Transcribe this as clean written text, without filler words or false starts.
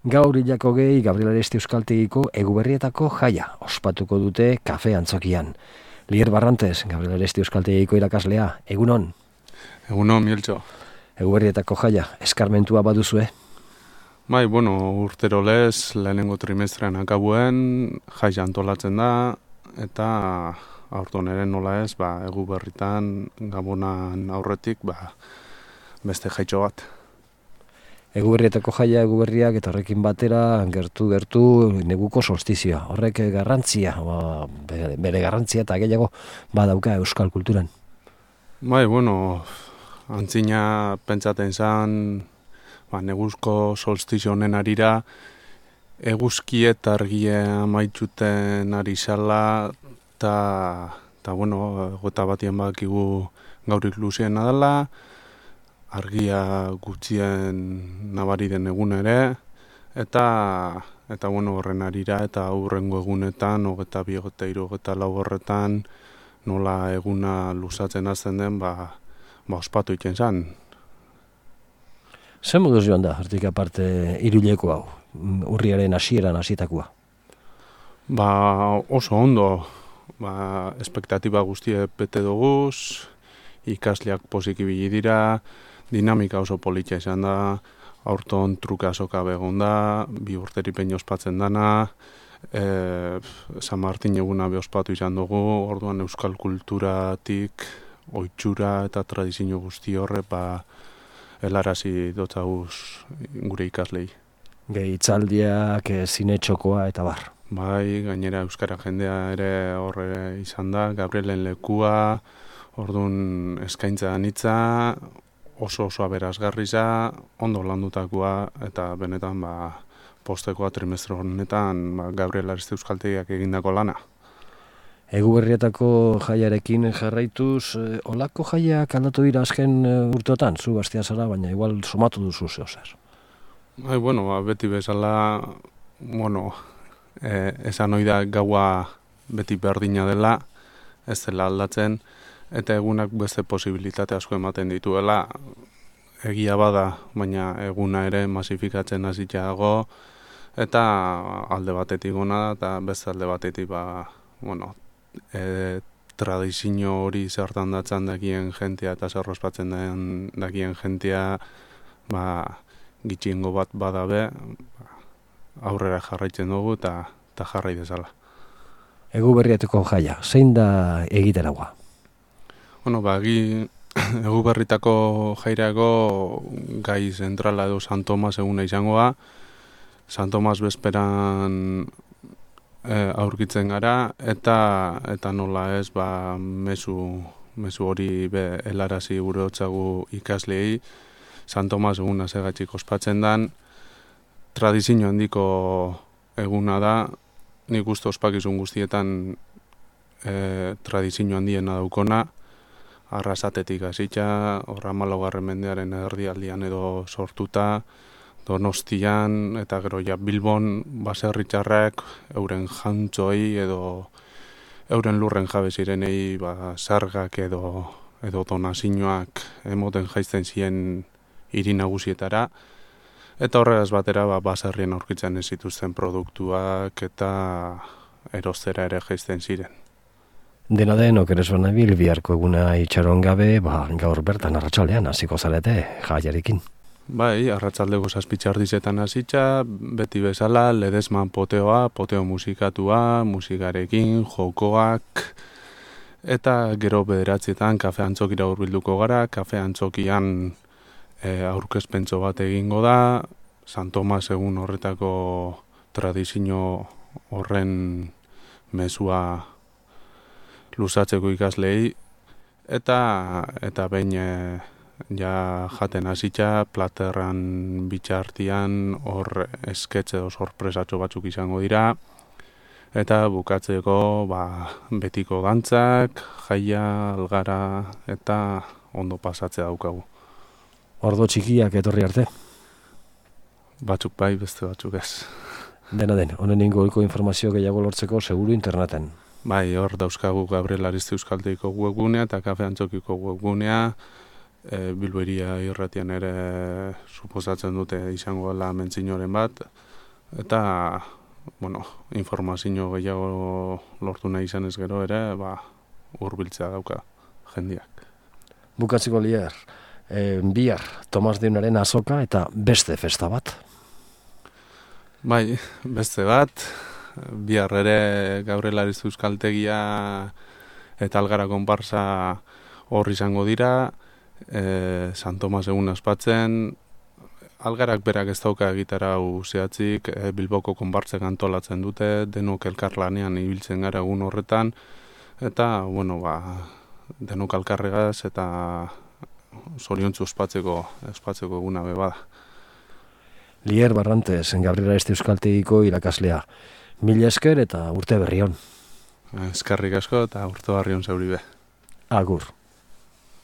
Gaur hilako gehi Gabriel Aresti Euskaltegiko Eguberrietako jaia ospatuko dute kafe antzokian. Lier Barrantes, Gabriel Aresti Euskaltegiko irakaslea, egunon? Egunon, Mieltxo. Eguberrietako jaia, eskarmentua baduzue? Bai, urtero lez, lehenengo trimestrean akabuen, jaia antolatzen da, eta aurton ere nola ez, Eguberritan, Gabonan aurretik, beste jaitxo bat. Eguberrietako jaia, Eguberriak eta horrekin batera, gertu neguko solstizioa. Horrek garrantzia, bere garrantzia eta gehiago badauka euskal kulturan. Bai, antzina pentsaten zan, neguzko solstizio honen arira, eguzki eta argie amaitzuten ari zala, eta gota batien bakigu gaurik luziena dela, argia gutxien nabari den egun ere, eta horren arira, eta aurrengo egunetan, 22, 23 horretan, nola eguna luzatzen hasten den, ospatu iten zen. Zer moduz joan da, hortik aparte iruileko hau, urriaren hasieran hasitakoa? Oso ondo, espektatiba guztie bete doguz, ikasleak pozik ibili dira, dinamika oso politia izan da, aurton truka azoka begon da, 2 urteripen ospatzen dana, San Martin eguna ospatu izan dugu, orduan euskal kulturatik, ohitura eta tradizio guzti horre, helarazi dotzauz gure ikaslei. Gehitzaldiak, zinetxokoa eta bar. Bai, gainera euskara jendea ere horre izan da, Gabrielen lekua, orduan eskaintza anitza, oso aberasgarri za, ondo landutakoa, eta benetan postekoa trimestre honetan Gabriel Aresti Euskaltegiak egindako lana. Eguberrietako jaiarekin jarraituz, olako jaiak aldatu dira azken urteotan, zu bastia zara, baina igual somatu duzu zehozer. Bai, beti bezala, esan hori da gaua beti berdina dela, ez dela aldatzen, eta egunak beste posibilitate asko ematen dituela, egia bada, baina eguna ere masifikatzen hasita dago, eta alde batetik gona da, eta beste alde batetik tradizio hori zertan datzan dakien jentea eta zer ospatzen dakien jentea gitxingo bat badabe, aurrera jarraitzen dugu eta jarrai dezala. Eguberrietako jaia, zein da egiteragoa? Eguberritako jairago gai zentrala edo San Tomas eguna izangoa. San Tomas bezperan aurkitzen gara, eta nola ez, mezu hori helarazi gure hotzagu ikasleei. San Tomas eguna zegatxik ospatzen dan, tradizio handiko eguna da, nik uste ospakizun guztietan tradizio handiena daukona, Arrasatetik hasita, 14. mendearen erdialdian edo sortuta, Donostian eta gero Bilbon baserritarrek euren jantzoi edo euren lurren jabe zirenei sargak edo donazioak emoten jaisten ziren hiri nagusietara, eta horregaz batera baserrien aurkitzen ez zituzten produktuak eta erostera ere jaisten ziren. Dena den, okerezuan nabil, biharko eguna itxaron gabe, gaur bertan arratsaldean hasiko zarete jaiarekin. Bai, arratsaldeko 7:00 hasita, beti bezala, ledesman poteo musikatua, musikarekin, jokoak, eta gero 9:00 kafe antzokira hurbilduko gara, kafe antzokian aurkezpentso bat egingo da, San Tomas egun horretako tradizio horren mezua luzatzeko ikaslei, eta behin jaten hasita, platerran bitxartian hor esketxe edo sorpresatxo batzuk izango dira, eta bukatzeko betiko dantzak, jaia, algara, eta ondo pasatzea daukagu. Ordo txikiak etorri arte? Batzuk bai, beste batzuk ez. Dena den, honen inguruko informazio gehiago lortzeko seguru interneten. Bai, hor dauzkagu Gabriel Aresti Euskaltegiko webgunea eta Kafe Antzokiko webgunea, Bilboiria irratian ere suposatzen dute izango dela mentzinoren bat, eta informazio gehiago lortu nahi izanez gero ere, hurbiltzea dauka jendiak. Bukatziko Lier, bihar Tomas Deunaren azoka eta beste festa bat. Bai, beste bat, bihar ere Gaurelariz Euskaltegia eta Algara konparsa hor izango dira, San Tomas egun aspatzen, Algarak berak ez dauka egitarau zehatzik, Bilboko konpartzek antolatzen dute, denok elkarlanean ibiltzen gara egun horretan, eta, denok alkarregaz eta zoriontzu ospatzeko eguna bada. Lier Barrantes, Gaurelariz Euskaltegiko irakaslea. Mila esker eta urte berri on. Eskerrik asko eta urte berri on zeuri be. Agur.